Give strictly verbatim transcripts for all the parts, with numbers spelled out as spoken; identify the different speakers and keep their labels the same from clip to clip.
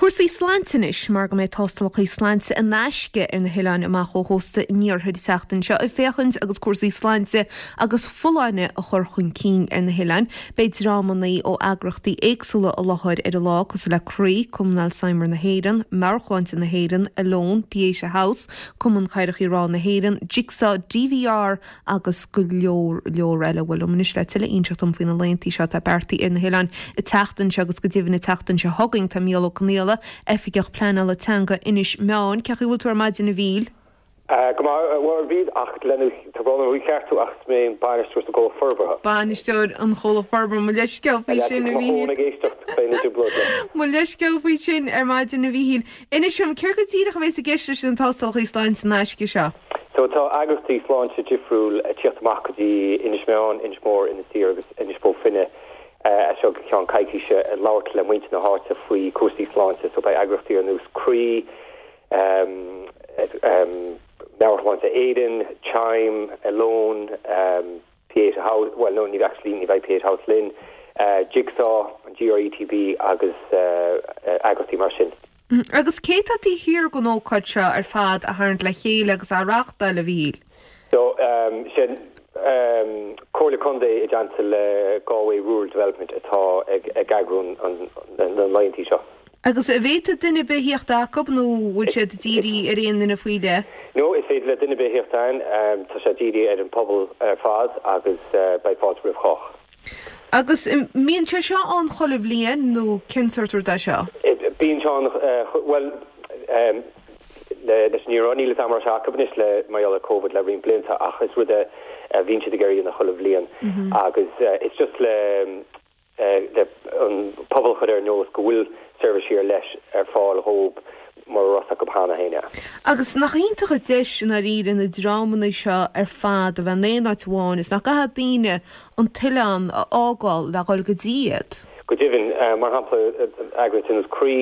Speaker 1: Cúrsaí sláinte anois mar go mbeidh tástálacha sláinte in aisce ar na hoileáin amach ó chósta an iarthair an tseachtain seo ag féachaint agus cúrsaí sláinte agus folláine a chur chun cinn ar na hoileáin. Beidh dreamanna ó eagraíochtaí éagsúla i láthair ar an lá cosúil le Croí, Cumann Alzheimer na hÉireann, Meabhairshláinte na hÉireann, Alone, Pieta House, Cumann Cabhrach Ráth na hÉireann, Jigsaw, DVR agus go leor leor eile bhfuil anois le tuilleadh a inseacht dom faoi na laethanta seo atá beartaithe ar na hoileáin an tseachtain seo agus go deimhin an tseachtain seo chugainn tá Mícheál Ó Conghaile Oifigeach Pleanála Teanga Inis Meáin, Cén chaoi a bhfuil tú ar maidin a Mhíchíl?
Speaker 2: Go bhí ach lena cheartú ach mé bainisteoir sa gcomhlacht forbartha.
Speaker 1: Bainisteoir an chomhlacht forbartha mo leithscéal faoi sin a bhí Mo leithscéal faoi sin ar maidin a Mhíchíl. Inis dom céard go díreach a bheas i gceist leis an tástálacha sláinte in aisce seo.
Speaker 2: So tá eagraíochtaí sláinte difriúil teacht amach go dtí Inis Meáin, Inis Mór, Inis Oírr agus Inis Bó Finne seo go ceann coicíse labhairt le muintir na háite faoi cúrsaí sláinte, so beidh eagraíochtaí ar nós Croí, um, um, Meabhairshláinte Éireann, Chime, Alone, um, Pieta House, well no ní actually ní bheidh Pieta House linn, uh, Jigsaw, an GRETB agus uh, eagraíochtaí mar sin.
Speaker 1: Mm, agus cé tá thiar den ócáid seo ar fad a tharraingt le chéile agus a reáchtáil a Mhíchíl.
Speaker 2: So um, sin um, Comhairle Contae i dteannta le Galway Rural Development atá ag ag eagrú an na laethanta seo.
Speaker 1: Agus an bhféadfadh duine ar bith theacht acu nó bhfuil siad dírithe ar aon duine faoi leith?
Speaker 2: No is féidir le duine ar bith theacht ann um, tá sé dírithe ar an pobal ar fad agus uh, beidh fáilte roimh chách.
Speaker 1: Agus mbíonn sé seo ann chuile bhliain nó cén sórt rud é seo?
Speaker 2: Bíonn sé uh, well um, leis ní níl am se le mar le COVID le roinnt blianta ach is rud a bhíonn siad ag déanamh chuile bhliain mhm. agus uh, it's just le uh, le an pobal chur ar an eolas go bhfuil seirbhísí ar leis ar fáil dhóibh mar ros go hána héine.
Speaker 1: Agus nach iontach an deis in áirithe na dreamanna seo ar fad a bheith in aon áit amháin is nach gcaithfidh daoine an t-oileán a fhágáil le dhul go dtí iad.
Speaker 2: Go deimhin uh, mar shampla eagraíocht Croí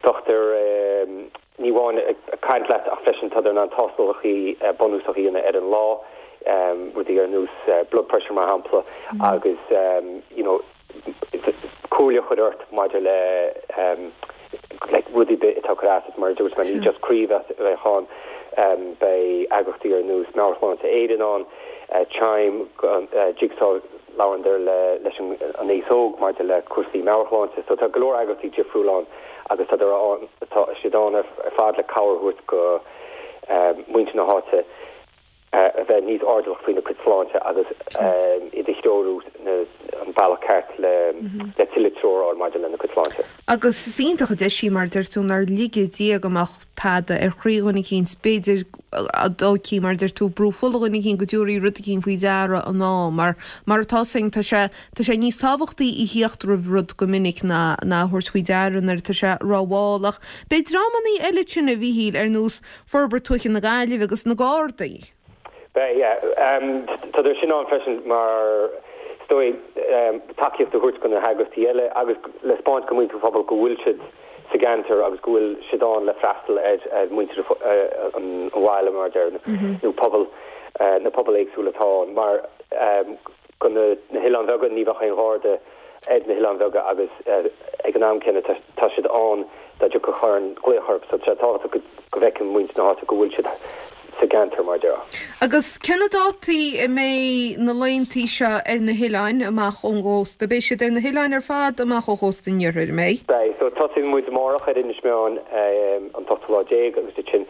Speaker 2: dochtúir um, ní amháin caint leat ach freisin tá an tástálacha bunúsacha ar an lá um, rudaí ar nós uh, blood pressure mar shampla mm. agus um, you know, comhairle chur ort maidir le um, like, rudaí atá crá mar dúirt man ní just Croí a bheidh ann um, beidh eagraíochtaí ar nós Meabhairshláinte Éireann ann uh, Chime uh, Jigsaw labhrann le leis an an aos óg maidir le cúrsaí meabhairshláinte, so tá go leor eagraíochtaí difriúil ann agus tá tá siad ann ar fad le cabhair a thabhairt go um, muintir na háite a bheith níos airdeallach faoina cuid sláinte agus iad a threorú an bealach ceart le mhm. le tuilleadh treoir maidir lena cuid sláinte.
Speaker 1: Agus is iontach an deis í mar deir tú nár lige Dia go mbeadh tada ar chroí dhuine éicint b'fhéidir dóichí mar deir tú brú fola dhuine éicint go dtabharfaí rud éicint faoi deara an ná mar mar atá sin tá sé tá sé níos tábhachtaí a theacht roimh rud go minic ná ná thabhairt faoi deara nuair atá sé rómhall ach. Beidh dreamanna eile sin a Mhíchíl ar nós Forbairt Tuaithe na Gaillimhe agus na Gardaí.
Speaker 2: Tá sin ann freisin mar stoi tacaíocht a thabhairt go na heagraíochtaí eile agus le taispeáint go muintir phobal go bhfuil siad sa gceantar agus go bhfuil siad ann le freastal ar ar muintir an bhaile mar deir mhm. nó pobal na pobal éagsúla atá mar go na hoileáin bheaga ní bheadh aon gharda ar na hoileáin bheaga agus ag an am céanna tá siad ann dá dtiocfadh aon ghlaoch orthu so tá go bhfeiceann muintir na háite go bhfuil siad sa gceantar mar deir.
Speaker 1: Agus cé na dátaí a mbeidh na laethanta seo ar na hoileáin amach ón gcósta, beidh siad ar na hoileáin ar fad amach ó chósta an iarthair mé?
Speaker 2: Beidh so tosaíonn muid amárach ar Inis Meáin an t-ochtú lá déag agus sin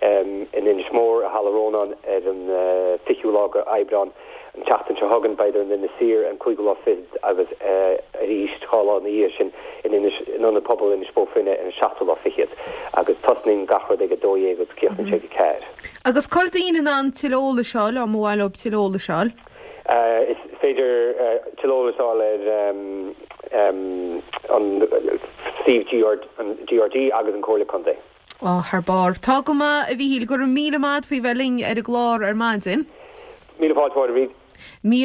Speaker 2: in Inis Mór i Halla Rónáin ar an eh, fichiú lá Aibreán an tseachtain seo chugainn beidh in Inis Oírr an cúigiú lá fichead agus eh, arís dhá lá ina dhiaidh sin in in ionad pobail Inis Bó Finne an seachtú lá fichead agus tosnaíonn gach rud ag a dó dhéag agus críochnaíonn sé ag a ceathair.
Speaker 1: Agus cá bhfuil daoine in ann tuilleadh eolais a fháil má mhaith leo tuilleadh eolais a fháil?
Speaker 2: Uh, is féidir uh, tuilleadh eolais a fháil ar um, um, an suíomh an GRD agus an Comhairle Contae.
Speaker 1: Ó thar barr. Tá go maith a Mhíchíl go raibh míle maith faoi bheith linn ar an gclár ar maidin.
Speaker 2: Míle fáilte bhí.
Speaker 1: Mí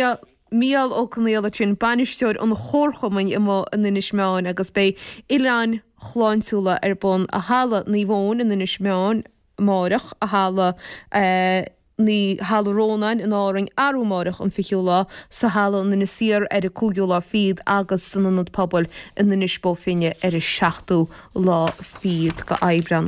Speaker 1: Mícheál Ó Conghaile sin bainisteoir an chomharchumainn amuigh in Inis Meáin agus beidh oileáin shláintiúla ar bun i Halla Naomh Eoin in Inis Meáin amárach i Halla uh, i Halla Rónáin in Árainn arú amárach an fichiú lá, sa halla in Inis Oírr ar an cúigiú lá fichead agus san Ionad Pobail in Inis Bó Finne ar an seachtú lá fichead d'Aibreán.